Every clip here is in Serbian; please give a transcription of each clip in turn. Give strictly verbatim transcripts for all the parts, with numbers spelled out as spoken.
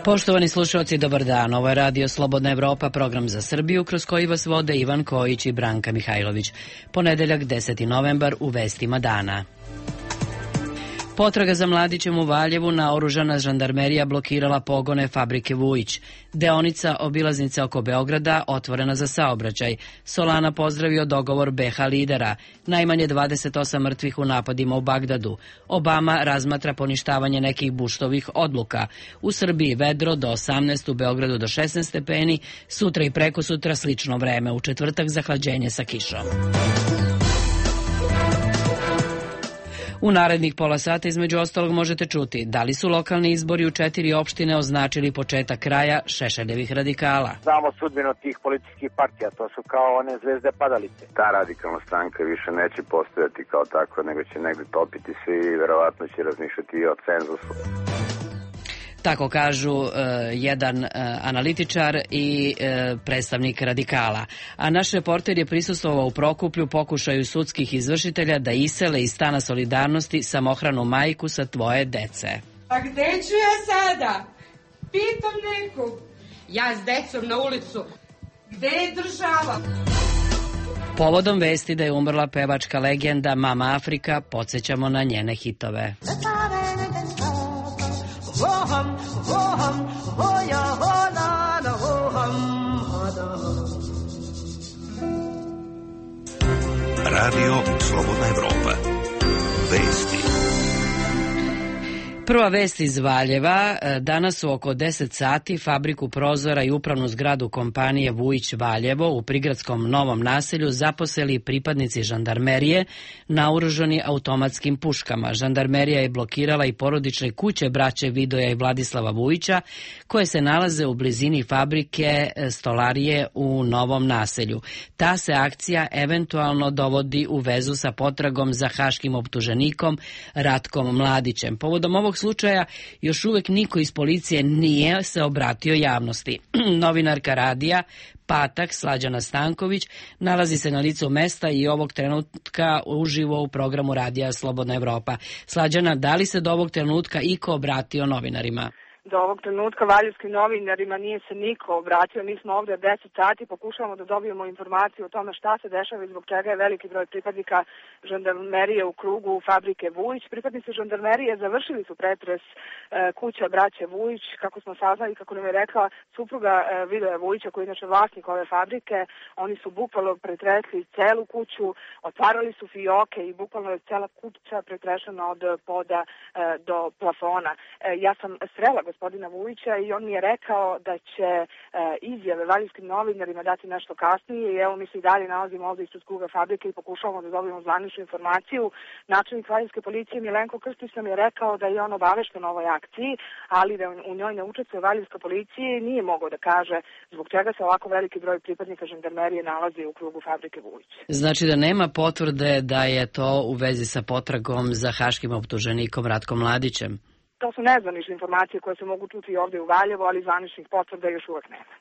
Poštovani slušalci, dobar dan. Ovo je Radio Slobodna Evropa, program za Srbiju, kroz koji vas vode Ivan Kojić i Branka Mihajlović. Ponedeljak, deseti novembar, u vestima dana. Potraga za mladićem u Valjevu, naoružana žandarmerija blokirala pogone fabrike Vujić. Deonica obilaznice oko Beograda otvorena za saobraćaj. Solana pozdravio dogovor be ha lidera. Najmanje dvadeset osam mrtvih u napadima u Bagdadu. Obama razmatra poništavanje nekih Buštovih odluka. U Srbiji vedro do osamnaest, u Beogradu do šesnaest stepeni, sutra i preko sutra slično vreme, u četvrtak zahlađenje sa kišom. U narednih pola sata između ostalog možete čuti da li su lokalni izbori u četiri opštine označili početak kraja Šešeljevih radikala. Znamo sudbinu tih političkih partija, to su kao one zvezde padalice. Ta radikalna stranka više neće postojati kao takva, nego će negde topiti svi i verovatno će razmišljati i o cenzusu. Tako kažu uh, jedan uh, analitičar i uh, predstavnik radikala. A naš reporter je prisustvovao u Prokuplju pokušaju sudskih izvršitelja da isele iz stana Solidarnosti samohranu majku sa dvoje dece. A gde ću ja sada? Pitam nekog. Ja s decom na ulicu. Gde je država? Povodom vesti da je umrla pevačka legenda Mama Afrika, podsjećamo na njene hitove. Voham, voham, voja, honana, voham, Radio Slobodna Evropa. Vesti. Prva vest iz Valjeva. Danas u oko deset sati fabriku prozora i upravnu zgradu kompanije Vujić Valjevo u prigradskom Novom naselju zaposeli pripadnici žandarmerije naoružani automatskim puškama. Žandarmerija je blokirala i porodične kuće braće Vidoja i Vladislava Vujića koje se nalaze u blizini fabrike stolarije u Novom naselju. Ta se akcija eventualno dovodi u vezu sa potragom za haškim optuženikom Ratkom Mladićem. Povodom ovog slučaja još uvek niko iz policije nije se obratio javnosti. Novinarka radija Patak Slađana Stanković nalazi se na licu mesta i ovog trenutka uživo u programu Radija Slobodna Evropa. Slađana, da li se do ovog trenutka iko obratio novinarima? Do ovog trenutka valjevskim novinarima nije se niko obratio. Mi smo ovdje deset sati, pokušavamo da dobijemo informaciju o tome šta se dešava i zbog čega je veliki broj pripadnika žandarmerije u krugu fabrike Vujić. Pripadnici žandarmerije završili su pretres e, kuća braće Vujić, kako smo saznali, kako nam je rekla supruga e, Vidoja Vujića, koji je inače vlasnik ove fabrike. Oni su bukvalno pretresli celu kuću, otvarali su fioke i bukvalno je cela kuća pretrešena od poda e, do plafona. E, ja sam srela gospodina Vujića i on mi je rekao da će e, izjave valjevskim novinarima dati nešto kasnije i evo mi se i dalje nalazimo ovdje ispred kruga fabrike i pokušavamo da dobijemo zvaničnu informaciju. Načelnik valjevske policije Milenko Krstić nam je rekao da je on obavešten o ovoj akciji, ali da u njoj ne učestvuje valjevska policija i nije mogao da kaže zbog čega se ovako veliki broj pripadnika žandarmerije nalazi u krugu fabrike Vujić. Znači da nema potvrde da je to u vezi sa potragom za haškim optuženikom Ratkom Mladićem? To su nezvanične informacije koje se mogu čuti i ovdje u Valjevu, ali zvaničnih potvrda još uvek nema.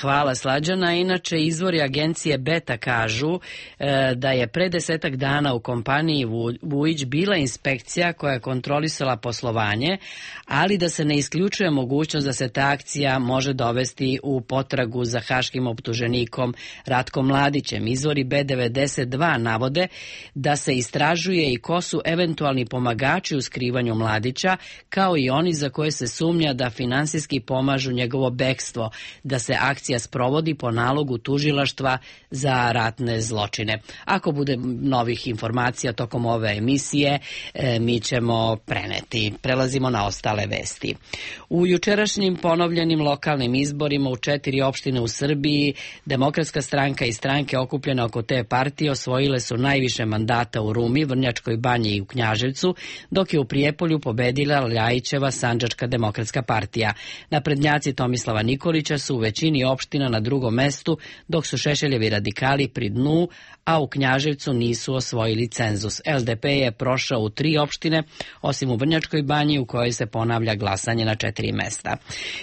Hvala Slađana. Inače, izvori agencije Beta kažu da je pre desetak dana u kompaniji Vujić bila inspekcija koja je kontrolisala poslovanje, ali da se ne isključuje mogućnost da se ta akcija može dovesti u potragu za haškim optuženikom Ratkom Mladićem. Izvori be devedeset dva navode da se istražuje i ko su eventualni pomagači u skrivanju Mladića, kao i oni za koje se sumnja da finansijski pomažu njegovo bekstvo, da se akcija sprovodi po nalogu tužilaštva za ratne zločine. Ako bude novih informacija tokom ove emisije, mi ćemo preneti. Prelazimo na ostale vesti. U jučerašnjim ponovljenim lokalnim izborima u četiri opštine u Srbiji, Demokratska stranka i stranke okupljene oko te partije osvojile su najviše mandata u Rumi, Vrnjačkoj Banji i u Knjaževcu, dok je u Prijepolju pobedila Ljajićeva Sandžačka demokratska partija. Naprednjaci Tomislava Nikolića su u većini opština na drugom mestu, dok su Šešeljevi radikali pri dnu, a u Knjaževcu nisu osvojili cenzus. L D P je prošao u tri opštine, osim u Vrnjačkoj Banji u kojoj se ponavlja glasanje na četiri mesta.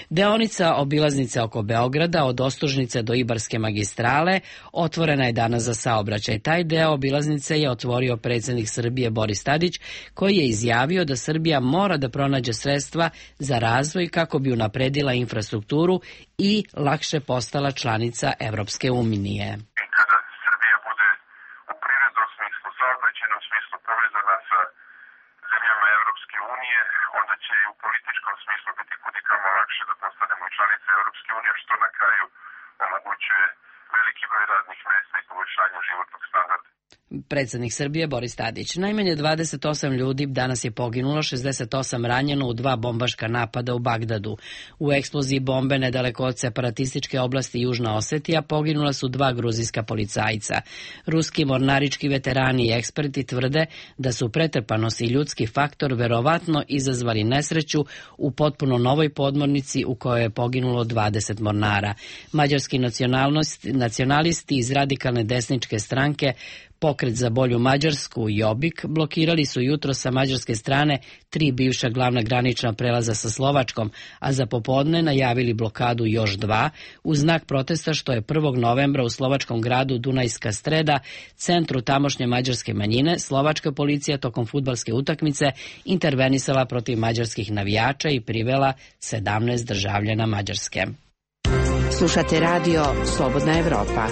Deonica obilaznice oko Beograda od Ostužnice do Ibarske magistrale otvorena je danas za saobraćaj. Taj deo obilaznice je otvorio predsjednik Srbije Boris Tadić, koji je izjavio da Srbija mora da pronađe sredstva za razvoj kako bi unapredila infrastrukturu i lakše postala članica Evropske unije. Kada Srbija bude u privrednom smislu, saobraćajnom smislu povezana sa zemljama Evropske unije, onda će i u političkom smislu biti kudikamo lakše da postanemo članice Evropske unije, što na kraju omogućuje veliki broj radnih mesta i poboljšanje životnog standarda. Predsjednik Srbije Boris Tadić. Najmanje dvadeset osam ljudi danas je poginulo, šezdeset osam ranjeno u dva bombaška napada u Bagdadu. U eksploziji bombe nedaleko od separatističke oblasti Južna Osetija poginula su dva gruzijska policajca. Ruski mornarički veterani i eksperti tvrde da su pretrpanost i ljudski faktor verovatno izazvali nesreću u potpuno novoj podmornici u kojoj je poginulo dvadeset mornara. Mađarski nacionalisti iz radikalne desničke stranke Pokret za bolju Mađarsku i Jobbik blokirali su jutro sa mađarske strane tri bivša glavna granična prelaza sa Slovačkom, a za popodne najavili blokadu još dva, u znak protesta što je prvog novembra u slovačkom gradu Dunajska Streda, centru tamošnje mađarske manjine, slovačka policija tokom fudbalske utakmice intervenisala protiv mađarskih navijača i privela sedamnaest državljana Mađarske. Slušate radio Slobodna Evropa.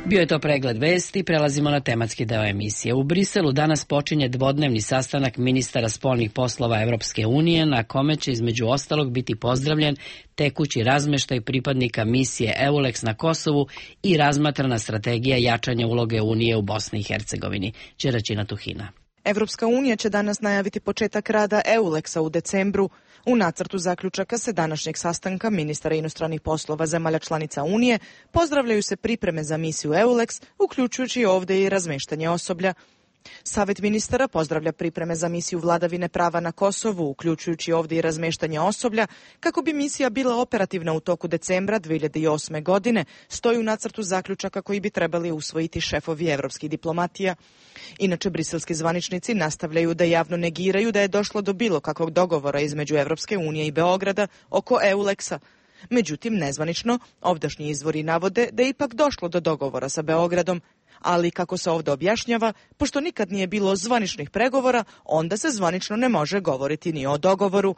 Bio je to pregled vesti, prelazimo na tematski deo emisije. U Briselu danas počinje dvodnevni sastanak ministara spoljnih poslova Evropske unije, na kome će između ostalog biti pozdravljen tekući razmeštaj pripadnika misije EULEX na Kosovu i razmatrana strategija jačanja uloge Unije u Bosni i Hercegovini. Đeraćina Tuhina. Evropska unija će danas najaviti početak rada EULEX-a u decembru. U nacrtu zaključaka se današnjeg sastanka ministara inostranih poslova zemalja članica Unije pozdravljaju se pripreme za misiju EULEX, uključujući ovdje i razmeštanje osoblja. Savet ministara pozdravlja pripreme za misiju vladavine prava na Kosovu, uključujući ovdje i razmeštanje osoblja, kako bi misija bila operativna u toku decembra dve hiljade osme. godine, stoji u nacrtu zaključaka koji bi trebali usvojiti šefovi evropskih diplomatija. Inače, briselski zvaničnici nastavljaju da javno negiraju da je došlo do bilo kakvog dogovora između Evropske unije i Beograda oko EULEX-a. Međutim, nezvanično, ovdašnji izvori navode da je ipak došlo do dogovora sa Beogradom, ali kako se ovdje objašnjava, pošto nikad nije bilo zvaničnih pregovora, onda se zvanično ne može govoriti ni o dogovoru.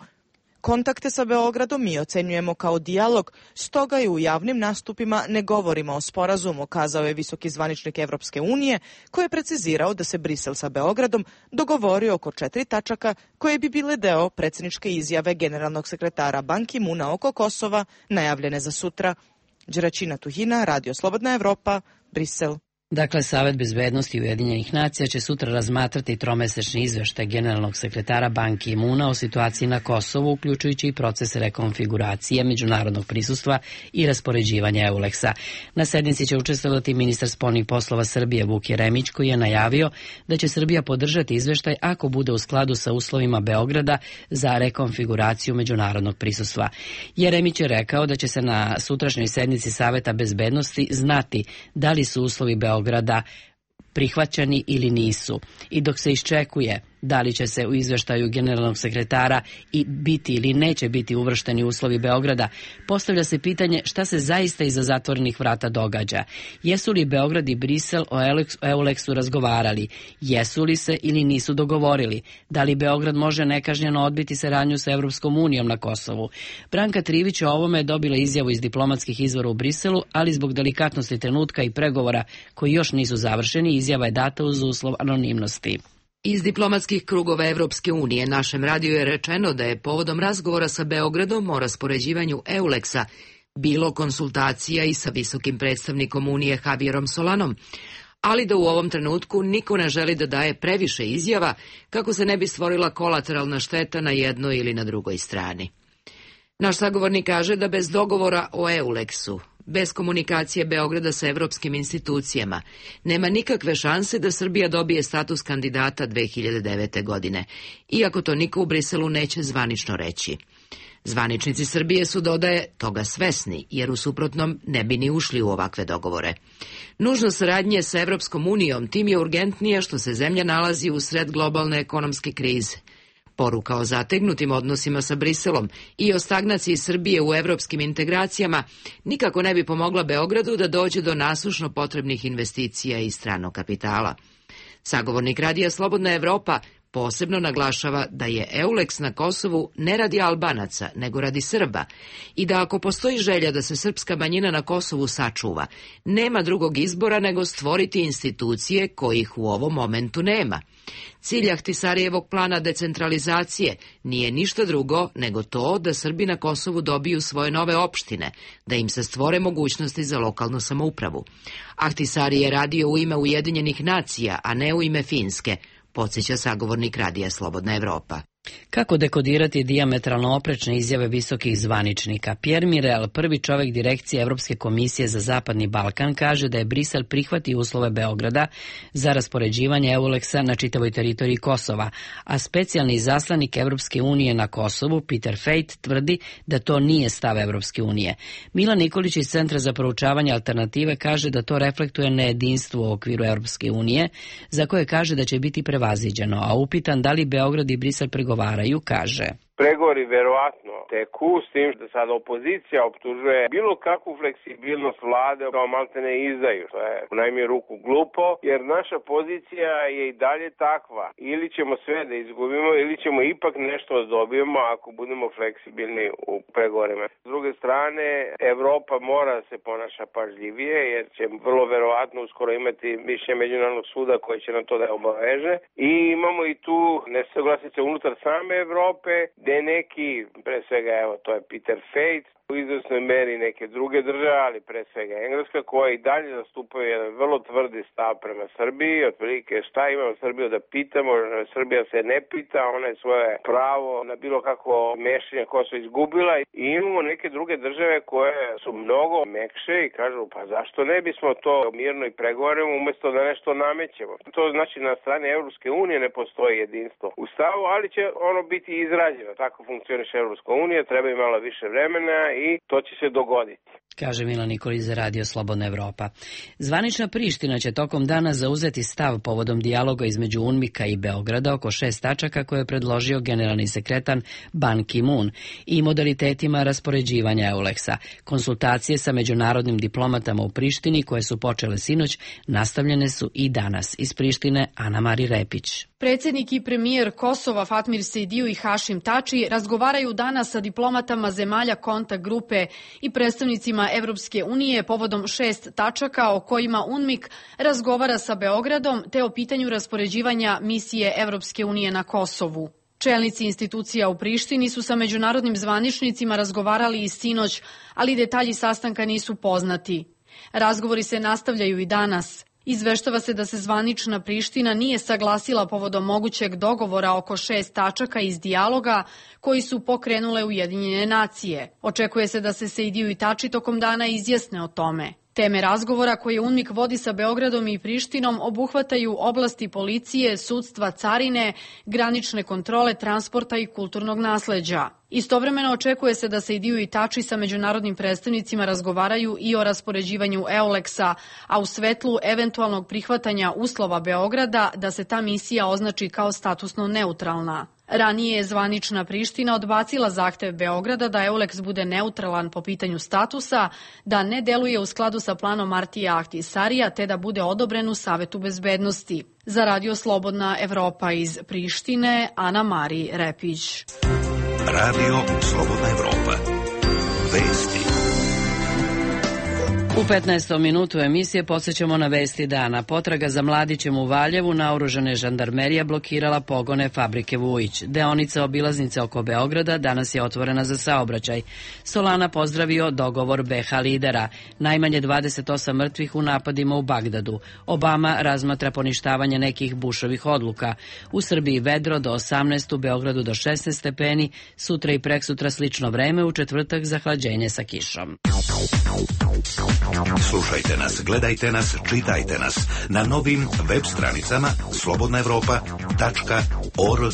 Kontakte sa Beogradom mi ocenjujemo kao dijalog, stoga i u javnim nastupima ne govorimo o sporazumu, kazao je visoki zvaničnik Evropske unije, koji je precizirao da se Brisel sa Beogradom dogovorio oko četiri tačaka koje bi bile deo predsjedničke izjave generalnog sekretara Ban Ki-muna oko Kosova, najavljene za sutra. Đeraćina Tuhina, Radio Slobodna Evropa, Brisel. Dakle, Savet bezbednosti Ujedinjenih nacija će sutra razmatrati tromesečni izveštaj generalnog sekretara Ban Ki-muna o situaciji na Kosovu, uključujući i proces rekonfiguracije međunarodnog prisustva i raspoređivanja EULEX-a. Na sednici će učestvovati ministar spoljnih poslova Srbije Vuk Jeremić, koji je najavio da će Srbija podržati izveštaj ako bude u skladu sa uslovima Beograda za rekonfiguraciju međunarodnog prisustva. Jeremić je rekao da će se na sutrašnjoj sednici Saveta bezbednosti znati da li su uslovi Beograda grada prihvaćeni ili nisu. I dok se iščekuje da li će se u izveštaju generalnog sekretara i biti ili neće biti uvršteni uslovi Beograda, postavlja se pitanje šta se zaista iza zatvorenih vrata događa. Jesu li Beograd i Brisel o EULEX-u razgovarali? Jesu li se ili nisu dogovorili? Da li Beograd može nekažnjeno odbiti saradnju sa Evropskom unijom na Kosovu? Branka Trivić o ovome je dobila izjavu iz diplomatskih izvora u Briselu, ali zbog delikatnosti trenutka i pregovora koji još nisu završeni, izjava je data uz uslov anonimnosti. Iz diplomatskih krugova Evropske unije našem radiju je rečeno da je povodom razgovora sa Beogradom o raspoređivanju EULEX-a bilo konsultacija i sa visokim predstavnikom Unije Javierom Solanom, ali da u ovom trenutku niko ne želi da daje previše izjava kako se ne bi stvorila kolateralna šteta na jednoj ili na drugoj strani. Naš sagovornik kaže da bez dogovora o EULEX-u, bez komunikacije Beograda sa evropskim institucijama, nema nikakve šanse da Srbija dobije status kandidata dve hiljade devete. godine, iako to niko u Briselu neće zvanično reći. Zvaničnici Srbije su, dodaje, toga svesni, jer u suprotnom ne bi ni ušli u ovakve dogovore. Nužnost saradnje sa Evropskom unijom tim je urgentnije što se zemlja nalazi u sred globalne ekonomske krize. Poruka o zategnutim odnosima sa Briselom i o stagnaciji Srbije u evropskim integracijama nikako ne bi pomogla Beogradu da dođe do nasušno potrebnih investicija i stranog kapitala. Sagovornik radija Slobodna Evropa posebno naglašava da je Euleks na Kosovu ne radi Albanaca, nego radi Srba i da ako postoji želja da se srpska manjina na Kosovu sačuva, nema drugog izbora nego stvoriti institucije kojih u ovom momentu nema. Cilj Ahtisarijevog plana decentralizacije nije ništa drugo nego to da Srbi na Kosovu dobiju svoje nove opštine, da im se stvore mogućnosti za lokalnu samoupravu. Ahtisari je radio u ime Ujedinjenih nacija, a ne u ime Finske, podsjeća sagovornik radija Slobodna Evropa. Kako dekodirati dijametralno oprečne izjave visokih zvaničnika? Pierre Mirel, prvi čovjek direkcije Evropske komisije za Zapadni Balkan, kaže da je Brisel prihvatio uslove Beograda za raspoređivanje Euleksa na čitavoj teritoriji Kosova, a specijalni izaslanik Evropske unije na Kosovu, Peter Fejt, tvrdi da to nije stav Evropske unije. Milan Nikolić iz Centra za proučavanje alternative kaže da to reflektuje nejedinstvo u okviru Evropske unije, za koje kaže da će biti prevaziđeno, a upitan da li Beograd i Brisel pregovaraju, kaže: Pregovori verovatno teku, s tim da sad opozicija optužuje bilo kakvu fleksibilnost vlade kao maltene izdaju. To je u najmiju ruku glupo, jer naša pozicija je i dalje takva. Ili ćemo sve da izgubimo, ili ćemo ipak nešto da dobijemo ako budemo fleksibilni u pregovorima. S druge strane, Evropa mora da se ponaša pažljivije, jer će vrlo verovatno uskoro imati mišljenje Međunarodnog suda koji će na to da obaveže. I imamo i tu nesaglasice unutar same Evrope, gde neki, pre svega, evo, to je Peter Fejt, u izvesnoj meri neke druge države, ali pre svega Engleska, koja i dalje zastupaju jedan vrlo tvrdi stav prema Srbiji, otprilike šta imamo Srbiju da pitamo, Srbija se ne pita, ona je svoje pravo na bilo kako mešanje koja su izgubila, i imamo neke druge države koje su mnogo mekše i kažu, pa zašto ne bismo to mirno i pregovorimo umesto da nešto namećemo. To znači na strani Evropske unije ne postoji jedinstvo u stavu, ali će ono biti izrađeno. Tako funkcioniše Evropska unija, treba im malo više vremena i to će se dogoditi. Kaže Milan Nikolić za radio Slobodna Evropa. Zvanična Priština će tokom dana zauzeti stav povodom dijaloga između UNMIK-a i Beograda oko šest tačaka koje je predložio generalni sekretar Ban Ki-moon i modalitetima raspoređivanja Euleksa. Konsultacije sa međunarodnim diplomatama u Prištini, koje su počele sinoć, nastavljene su i danas. Iz Prištine, Ana Mari Repić. Predsjednik i premijer Kosova Fatmir Sejdiu i Hašim Tači razgovaraju danas sa diplomatama zemalja kontakt grupe i predstavnicima Evropske unije povodom šest tačaka o kojima UNMIK razgovara sa Beogradom, te o pitanju raspoređivanja misije Evropske unije na Kosovu. Čelnici institucija u Prištini su sa međunarodnim zvaničnicima razgovarali i sinoć, ali detalji sastanka nisu poznati. Razgovori se nastavljaju i danas. Izveštava se da se zvanična Priština nije saglasila povodom mogućeg dogovora oko šest tačaka iz dijaloga koji su pokrenule Ujedinjene nacije. Očekuje se da se Sejdiu i Tači tokom dana izjasne o tome. Teme razgovora koje UNMIK vodi sa Beogradom i Prištinom obuhvataju oblasti policije, sudstva, carine, granične kontrole, transporta i kulturnog nasleđa. Istovremeno očekuje se da Sejdiu i Tači sa međunarodnim predstavnicima razgovaraju i o raspoređivanju Euleksa, a u svetlu eventualnog prihvatanja uslova Beograda da se ta misija označi kao statusno neutralna. Ranije je zvanična Priština odbacila zahtev Beograda da Euleks bude neutralan po pitanju statusa, da ne deluje u skladu sa planom Martija Ahtisarija, te da bude odobren u Savetu bezbednosti. Za radio Slobodna Evropa iz Prištine, Ana Mari Repić. Radio Slobodna Evropa. Vesti. U petnaestom minutu emisije podsjećamo na vesti dana. Potraga za mladićem u Valjevu, naoružane žandarmerija blokirala pogone fabrike Vujić. Deonica obilaznice oko Beograda danas je otvorena za saobraćaj. Solana pozdravio dogovor be ha lidera. Najmanje dvadeset osam mrtvih u napadima u Bagdadu. Obama razmatra poništavanje nekih Bušovih odluka. U Srbiji vedro do osamnaest, u Beogradu do šesnaest stepeni, sutra i preksutra slično vreme, u četvrtak zahlađenje sa kišom. Slušajte nas, gledajte nas, čitajte nas na novim web stranicama slobodna evropa tačka org.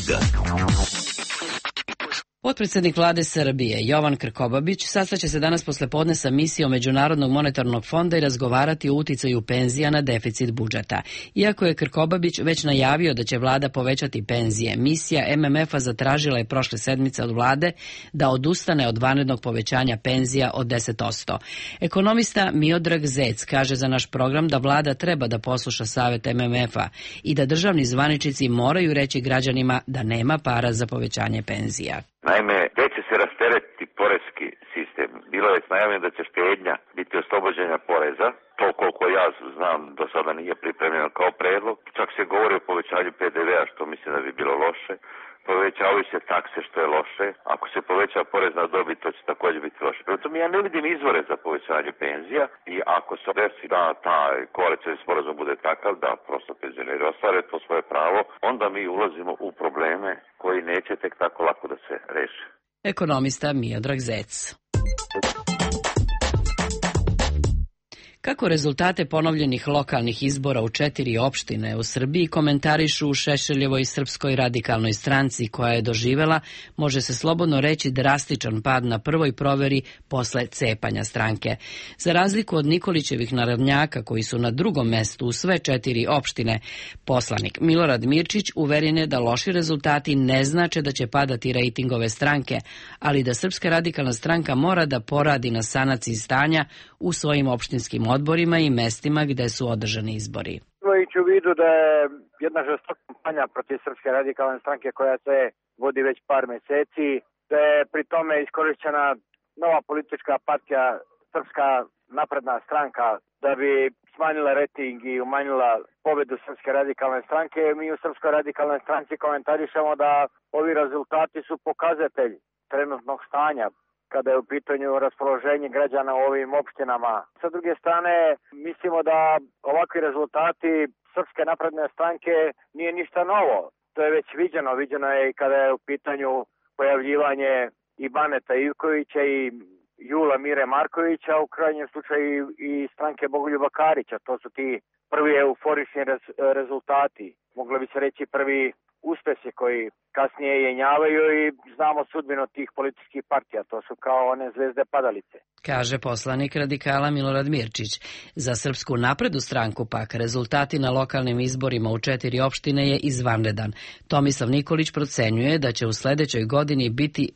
Potpredsjednik vlade Srbije Jovan Krkobabić sastaće se danas poslepodne sa misijom Međunarodnog monetarnog fonda i razgovarati o uticaju penzija na deficit budžeta. Iako je Krkobabić već najavio da će vlada povećati penzije, misija M M F-a zatražila je prošle sedmice od vlade da odustane od vanrednog povećanja penzija od deset posto. Ekonomista Miodrag Zec kaže za naš program da vlada treba da posluša savjet M M F-a i da državni zvaničnici moraju reći građanima da nema para za povećanje penzija. Naime, gdje će se rasteretiti porezki sistem? Bilo je najavljeno da će štednja biti oslobođenja poreza. To koliko ja znam do sada nije pripremljeno kao predlog. Čak se govori o povećanju P D V-a što mislim da bi bilo loše. Povećavaju se takse što je loše. Ako se poveća porez na dobit, to će također biti loše. Prvo tome ja ne vidim izvore za povećanje penzija i ako se desi da taj koalicijski sporazum bude takav da prosto penzioneri ostvare to svoje pravo, onda mi ulazimo u probleme koji neće tek tako lako da se reše. Ekonomista Miodrag Zec. Kako rezultate ponovljenih lokalnih izbora u četiri opštine u Srbiji komentarišu u Šešeljevoj Srpskoj radikalnoj stranci koja je doživela, može se slobodno reći, drastičan pad na prvoj proveri posle cepanja stranke. Za razliku od Nikolićevih narodnjaka koji su na drugom mestu u sve četiri opštine, poslanik Milorad Mirčić uveren je da loši rezultati ne znače da će padati rejting ove stranke, ali da Srpska radikalna stranka mora da poradi na sanaciji stanja u svojim opštinskim odborima i mestima gde su održani izbori. Imajući u vidu da je jedna žestoka kampanja protiv Srpske radikalne stranke koja se vodi već par meseci, da je pri tome iskorišćena nova politička partija Srpska napredna stranka da bi smanjila rejting i umanjila pobedu Srpske radikalne stranke. Mi u Srpskoj radikalnoj stranci komentarišemo da ovi rezultati su pokazatelj trenutnog stanja kada je u pitanju raspoloženje građana u ovim opštinama. Sa druge strane, mislimo da ovakvi rezultati Srpske napredne stranke nije ništa novo. To je već viđeno. Viđeno je i kada je u pitanju pojavljivanje i Baneta Ivkovića i Jula Mire Markovića, u krajnjem slučaju i stranke Bogoljuba Karića. To su ti prvi euforični rez, rezultati. Moglo bi se reći prvi uspesi koji kasnije jenjavaju i znamo sudbinu tih političkih partija. To su kao one zvezde padalice. Kaže poslanik radikala Milorad Mirčić. Za Srpsku naprednu stranku pak rezultati na lokalnim izborima u četiri opštine je izvanredan. Tomislav Nikolić procenjuje da će u sledećoj godini biti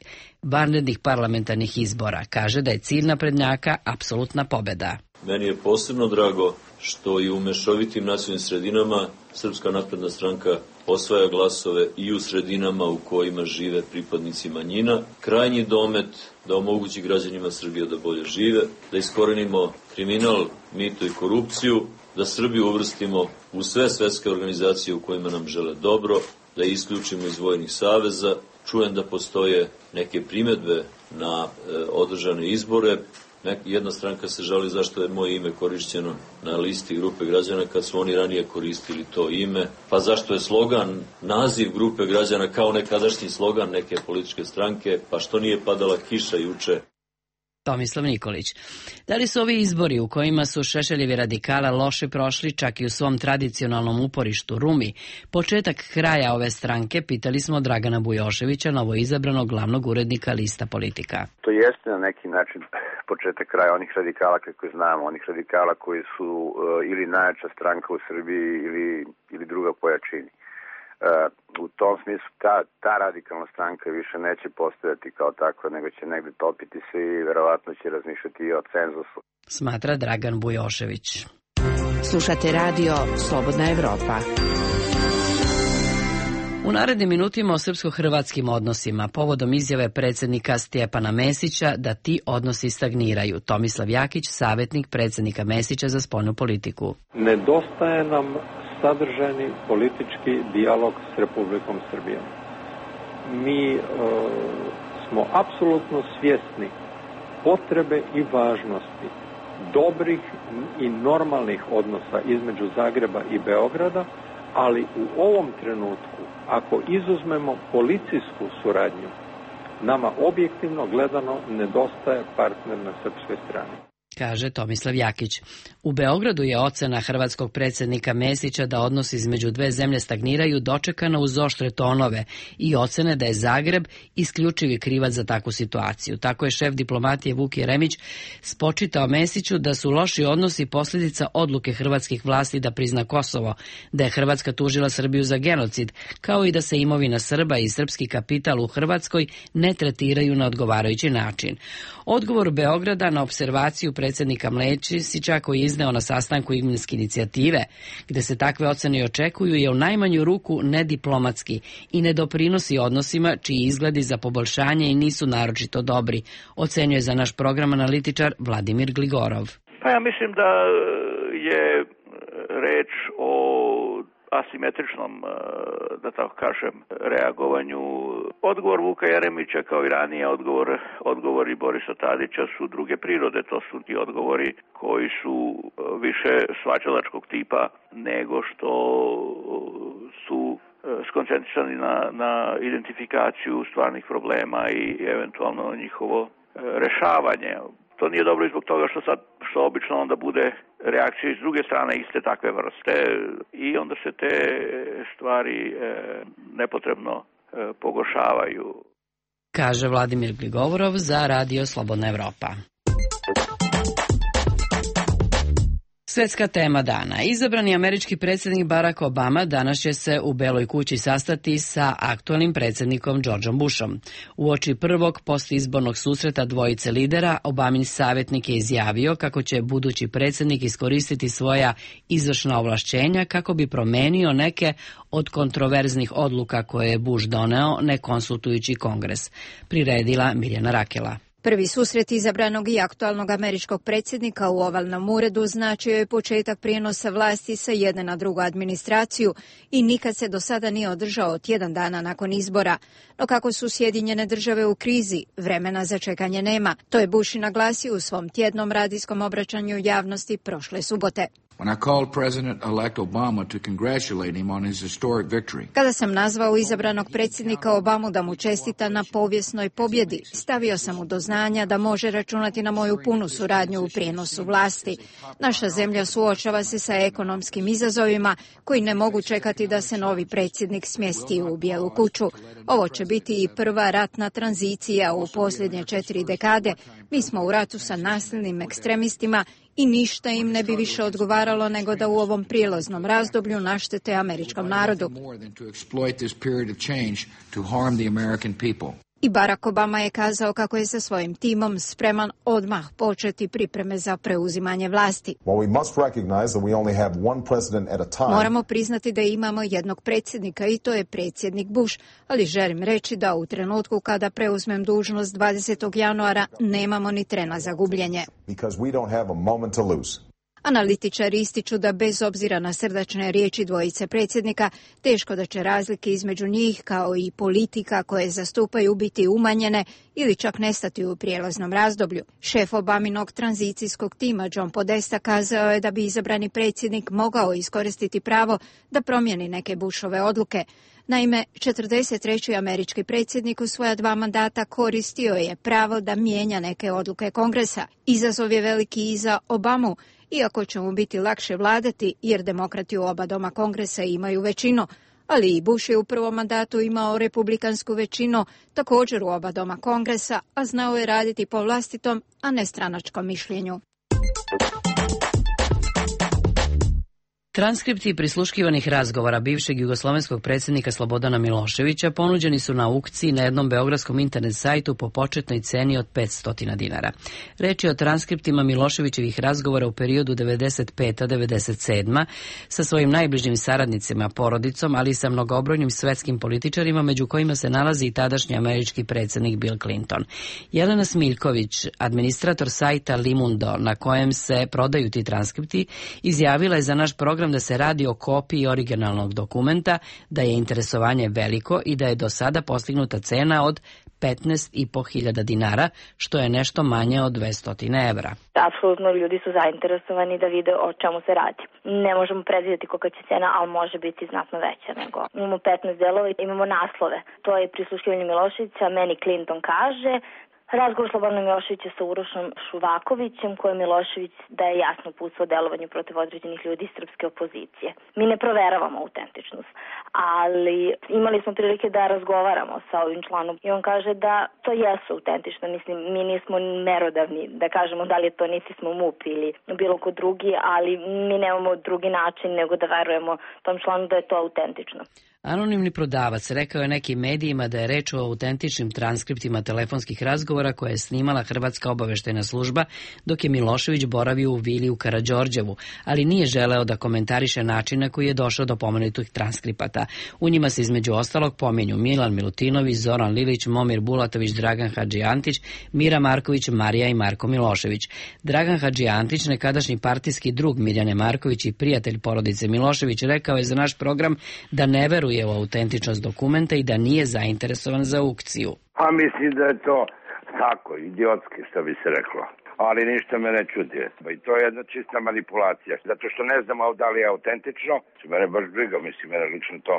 vanrednih parlamentarnih izbora. Kaže da je cilj naprednjaka apsolutna pobeda. Meni je posebno drago što i u mešovitim nacionalnim sredinama Srpska napredna stranka osvaja glasove i u sredinama u kojima žive pripadnici manjina. Krajnji domet da omogući građanima Srbije da bolje žive, da iskorenimo kriminal, mito i korupciju, da Srbiju uvrstimo u sve svetske organizacije u kojima nam žele dobro, da isključimo iz vojnih saveza. Čujem da postoje neke primedbe na e, održane izbore. Jedna stranka se žali zašto je moje ime korišćeno na listi grupe građana kad su oni ranije koristili to ime, pa zašto je slogan, naziv grupe građana kao nekadašnji slogan neke političke stranke, pa što nije padala kiša juče. Tomislav Nikolić. Da li su ovi izbori u kojima su Šešeljevi radikala loše prošli čak i u svom tradicionalnom uporištu Rumi, početak kraja ove stranke, pitali smo Dragana Bujoševića, novoizabranog glavnog urednika Lista Politika. To jeste na neki način početak kraja onih radikala kako znamo, onih radikala koji su uh, ili najjača stranka u Srbiji ili, ili druga po jačini. Uh, u tom smislu ta, ta radikalna stranka više neće postojati kao takva, nego će negde topiti se i verovatno će razmišljati i o cenzusu. Smatra Dragan Bujošević. Slušate radio Slobodna Evropa. U narednim minutima o srpsko-hrvatskim odnosima, povodom izjave predsjednika Stjepana Mesića da ti odnosi stagniraju. Tomislav Jakić, savjetnik predsjednika Mesića za spoljnu politiku. Nedostaje nam sadržajni politički dijalog s Republikom Srbijom. Mi e, smo apsolutno svjesni potrebe i važnosti dobrih i normalnih odnosa između Zagreba i Beograda, ali u ovom trenutku, ako izuzmemo policijsku suradnju, nama objektivno gledano nedostaje partner na srpskoj strani. kaže Tomislav Jakić. U Beogradu je ocena hrvatskog predsjednika Mesića da odnosi između dve zemlje stagniraju dočekana uz oštre tonove i ocene da je Zagreb isključivi krivac za takvu situaciju. Tako je šef diplomatije Vuk Jeremić spočitao Mesiću da su loši odnosi posljedica odluke hrvatskih vlasti da prizna Kosovo, da je Hrvatska tužila Srbiju za genocid, kao i da se imovina Srba i srpski kapital u Hrvatskoj ne tretiraju na odgovarajući način. Odgovor Beograda na observaciju predsjednika Mlesića koji je izneo na sastanku Igmanske inicijative, gde se takve ocene očekuju, je u najmanju ruku nediplomatski i ne doprinosi odnosima čiji izgledi za poboljšanje i nisu naročito dobri, ocenjuje za naš program analitičar Vladimir Gligorov. Pa ja mislim da je reč o asimetričnom, da tako kažem, reagovanju. Odgovor Vuka Jeremića kao i ranije odgovor, odgovori Borisa Tadića su druge prirode. To su ti odgovori koji su više svađalačkog tipa nego što su skoncentrisani na, na identifikaciju stvarnih problema i eventualno njihovo rešavanje. To nije dobro i zbog toga što sad, što obično onda bude reakcija iz druge strane iste takve vrste i onda se te stvari e, nepotrebno e, pogoršavaju. Kaže Vladimir Gligovorov za Radio Slobodna Evropa. Svetska tema dana. Izabrani američki predsjednik Barack Obama danas će se u Beloj kući sastati sa aktualnim predsjednikom Georgeom Bushom. Uoči prvog postizbornog susreta dvojice lidera, Obamin savjetnik je izjavio kako će budući predsjednik iskoristiti svoja izvršna ovlašćenja kako bi promenio neke od kontroverznih odluka koje je Bush doneo ne konsultujući Kongres. Priredila Mirjana Rakela. Prvi susret izabranog i aktualnog američkog predsjednika u ovalnom uredu značio je početak prijenosa vlasti sa jedne na drugu administraciju i nikad se do sada nije održao tjedan dana nakon izbora. No kako su Sjedinjene države u krizi, vremena za čekanje nema. To je Bush i naglasio u svom tjednom radijskom obraćanju javnosti prošle subote. When I called President-elect Obama to congratulate him on his historic victory. Kada sam nazvao izabranog predsjednika Obamu da mu čestita na povijesnoj pobjedi, stavio sam mu do znanja da može računati na moju punu suradnju u prijenosu vlasti. Naša zemlja suočava se sa ekonomskim izazovima koji ne mogu čekati da se novi predsjednik smjesti u Bijelu kuću. Ovo će biti i prva ratna tranzicija u posljednje četiri dekade. Mi smo u ratu sa nasilnim ekstremistima i ništa im ne bi više odgovaralo nego da u ovom prijelaznom razdoblju naštete američkom narodu. I Barack Obama je kazao kako je sa svojim timom spreman odmah početi pripreme za preuzimanje vlasti. Moramo priznati da imamo jednog predsjednika i to je predsjednik Bush, ali želim reći da u trenutku kada preuzmem dužnost dvadesetog januara nemamo ni trena za gubljenje. Analitičari ističu da bez obzira na srdačne riječi dvojice predsjednika, teško da će razlike između njih kao i politika koje zastupaju biti umanjene ili čak nestati u prijelaznom razdoblju. Šef Obaminog tranzicijskog tima John Podesta kazao je da bi izabrani predsjednik mogao iskoristiti pravo da promijeni neke Bushove odluke. Naime, četrdeset treći američki predsjednik u svoja dva mandata koristio je pravo da mijenja neke odluke Kongresa. Izazov je veliki i za Obamu, iako će mu biti lakše vladati jer demokrati u oba doma Kongresa imaju većinu, ali i Bush je u prvom mandatu imao republikansku većinu, također u oba doma Kongresa, a znao je raditi po vlastitom, a ne stranačkom mišljenju. Transkripti prisluškivanih razgovora bivšeg jugoslovenskog predsjednika Slobodana Miloševića ponuđeni su na aukciji na jednom beogradskom internet sajtu po početnoj ceni od petsto dinara. Reč je o transkriptima Miloševićevih razgovora u periodu devedeset peta do devedeset sedma sa svojim najbližim saradnicima, porodicom, ali i sa mnogobrojnim svetskim političarima, među kojima se nalazi i tadašnji američki predsjednik Bill Clinton. Jelena Smiljković, administrator sajta Limundo, na kojem se prodaju ti transkripti, izjavila je za naš program da se radi o kopiji originalnog dokumenta, da je interesovanje veliko i da je do sada postignuta cena od petnaest i po hiljada dinara, što je nešto manje od dvesta evra. Apsolutno ljudi su zainteresovani da vide o čemu se radi. Ne možemo predvidjeti kolika će cena, ali može biti znatno veća nego. Imamo petnaest delova i imamo naslove. To je prisluškivanje Miloševića, meni Clinton kaže, Razgovor Slobodana Miloševića sa Urošom Šuvakovićem, koje Milošević daje jasno uputstvo o delovanju protiv određenih ljudi iz srpske opozicije. Mi ne proveravamo autentičnost, ali imali smo prilike da razgovaramo sa ovim članom i on kaže da to jesu autentično. Mislim, mi nismo merodavni da kažemo da li je to niti smo MUP ili bilo ko drugi, ali mi nemamo drugi način nego da verujemo tom članu da je to autentično. Anonimni prodavac rekao je nekim medijima da je reč o autentičnim transkriptima telefonskih razgovora koje je snimala Hrvatska obaveštajna služba dok je Milošević boravio u vili u Karađorđevu, ali nije želeo da komentariše način na koji je došao do pomenutih transkripata. U njima se između ostalog pominju Milan Milutinović, Zoran Lilić, Momir Bulatović, Dragan Hadžijantić, Mira Marković, Marija i Marko Milošević. Dragan Hadžijantić, nekadašnji partijski drug Mirjane Marković i prijatelj porodice Milošević, rekao je za naš program da ne veruje u autentičnost dokumenta i da nije zainteresovan za aukciju. A mislim da je to tako, idiotski, što bi se reklo. Ali ništa me ne čudi. I to je jedna čista manipulacija. Zato što ne znamo da li je autentično, mene baš briga, mislim, mene lično to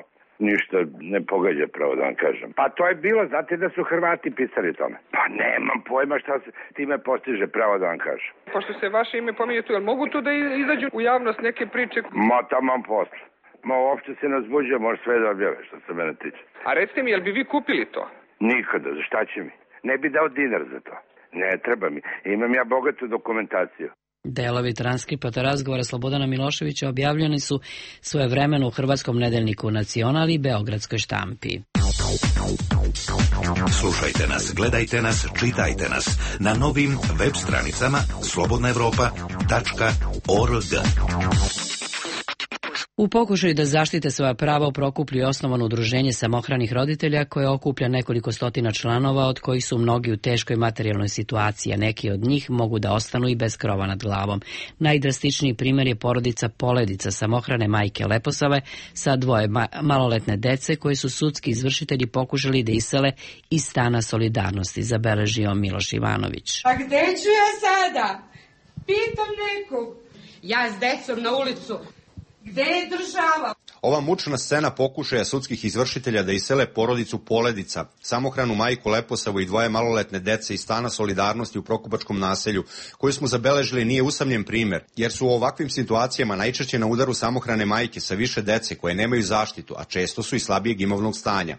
ništa ne pogađa, pravo da vam kažem. Pa to je bilo, znate da su Hrvati pisali tome. Pa nemam pojma šta se time postiže, pravo da vam kažem. Pošto se vaše ime pominje tu, jel mogu tu da izađu u javnost neke priče? Ma tamo posle. Ma uopšte se ne uzbuđuje, može sve da objave što se mene tiče. A recite mi, jel bi vi kupili to? Nikada, za šta će mi? Ne bi dao dinar za to. Ne, treba mi. Imam ja bogatu dokumentaciju. Delovi transkripata razgovora Slobodana Miloševića objavljeni su svojevremeno u hrvatskom nedeljniku Nacional i beogradskoj štampi. Slušajte nas, gledajte nas, čitajte nas na novim web stranicama slobodna evropa tačka org. U pokušaju da zaštite svoja prava u Prokuplju je osnovano udruženje samohranih roditelja koje okuplja nekoliko stotina članova, od kojih su mnogi u teškoj materijalnoj situaciji, a neki od njih mogu da ostanu i bez krova nad glavom. Najdrastičniji primjer je porodica Poledica, samohrane majke Leposave sa dvoje ma maloletne dece koje su sudski izvršitelji pokušali da isele iz stana Solidarnosti, zabeležio Miloš Ivanović. A gde ću ja sada? Pitam nekog. Ja s decom na ulicu. Gde je država? Ova mučna scena pokušaja sudskih izvršitelja da isele porodicu Poledica, samohranu majku Leposavu i dvoje maloletne dece iz stana Solidarnosti u Prokupačkom naselju, koju smo zabeležili, nije usamljen primer, jer su u ovakvim situacijama najčešće na udaru samohrane majke sa više dece koje nemaju zaštitu, a često su i slabijeg imovnog stanja.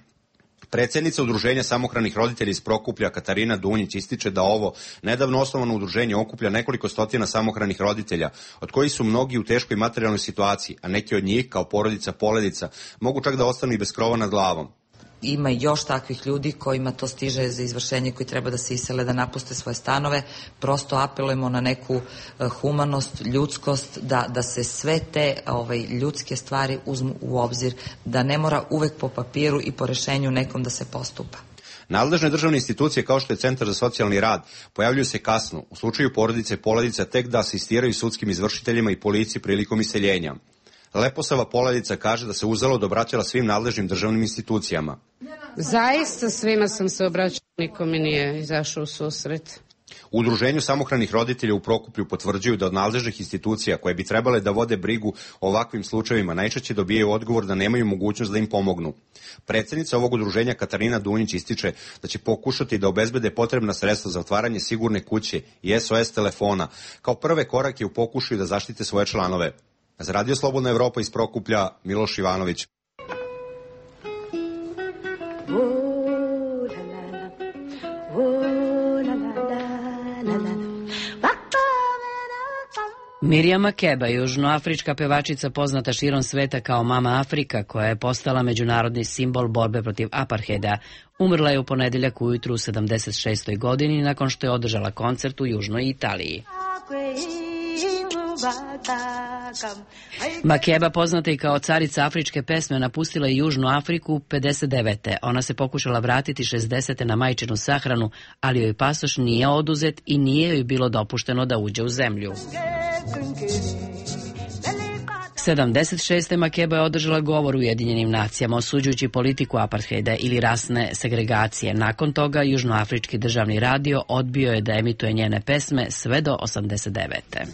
Predsjednica udruženja samohranih roditelja iz Prokuplja, Katarina Dunjić, ističe da ovo nedavno osnovano udruženje okuplja nekoliko stotina samohranih roditelja, od kojih su mnogi u teškoj materijalnoj situaciji, a neki od njih, kao porodica Poledica, mogu čak da ostanu i bez krova nad glavom. Ima još takvih ljudi kojima to stiže za izvršenje, koji treba da se isele, da napuste svoje stanove. Prosto apelujemo na neku humanost, ljudskost, da, da se sve te ovaj, ljudske stvari uzmu u obzir, da ne mora uvek po papiru i po rešenju nekom da se postupa. Nadležne državne institucije kao što je Centar za socijalni rad pojavljuju se kasno, u slučaju porodice Poledica tek da asistiraju sudskim izvršiteljima i policiji prilikom iseljenja. Leposava Poledica kaže da se uzalud obraćala svim nadležnim državnim institucijama. Zaista svima sam se obraćala, niko mi nije izašao u susret. U udruženju samohranih roditelja u Prokuplju potvrđuju da od nadležnih institucija koje bi trebale da vode brigu o ovakvim slučajevima najčešće dobijaju odgovor da nemaju mogućnost da im pomognu. Predsjednica ovog udruženja Katarina Dunjić ističe da će pokušati da obezbede potrebna sredstva za otvaranje sigurne kuće i S O S telefona kao prve korake u pokušaju da zaštite svoje članove. Za Radio Slobodna Evropa iz Prokuplja, Miloš Ivanović. Mirjam Makeba, južnoafrička pevačica poznata širom sveta kao Mama Afrika, koja je postala međunarodni simbol borbe protiv apartheida, umrla je u ponedeljak ujutru u sedamdeset šestoj godini nakon što je održala koncert u Južnoj Italiji. Makeba, poznata i kao carica afričke pesme, napustila je Južnu Afriku pedeset devete. Ona se pokušala vratiti šezdesete na majčinu sahranu, ali joj pasoš nije oduzet i nije joj bilo dopušteno da uđe u zemlju. sedamdeset šeste. Makeba je održala govor u Ujedinjenim nacijama osuđujući politiku apartheida ili rasne segregacije. Nakon toga Južnoafrički državni radio odbio je da emituje njene pesme sve do osamdeset devete.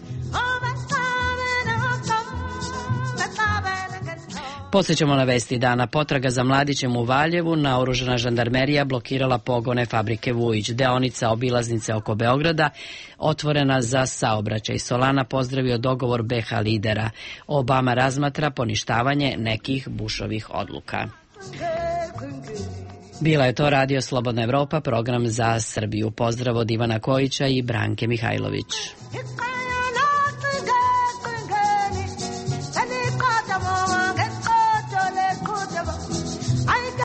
Podsjećamo na vesti dana. Potraga za mladićem u Valjevu, naoružana žandarmerija blokirala pogone fabrike Vujić. Deonica obilaznice oko Beograda otvorena za saobraćaj. Solana pozdravio dogovor be ha lidera. Obama razmatra poništavanje nekih Bušovih odluka. Bila je to Radio Slobodna Evropa, program za Srbiju. Pozdrav od Ivana Kojića i Branke Mihajlović.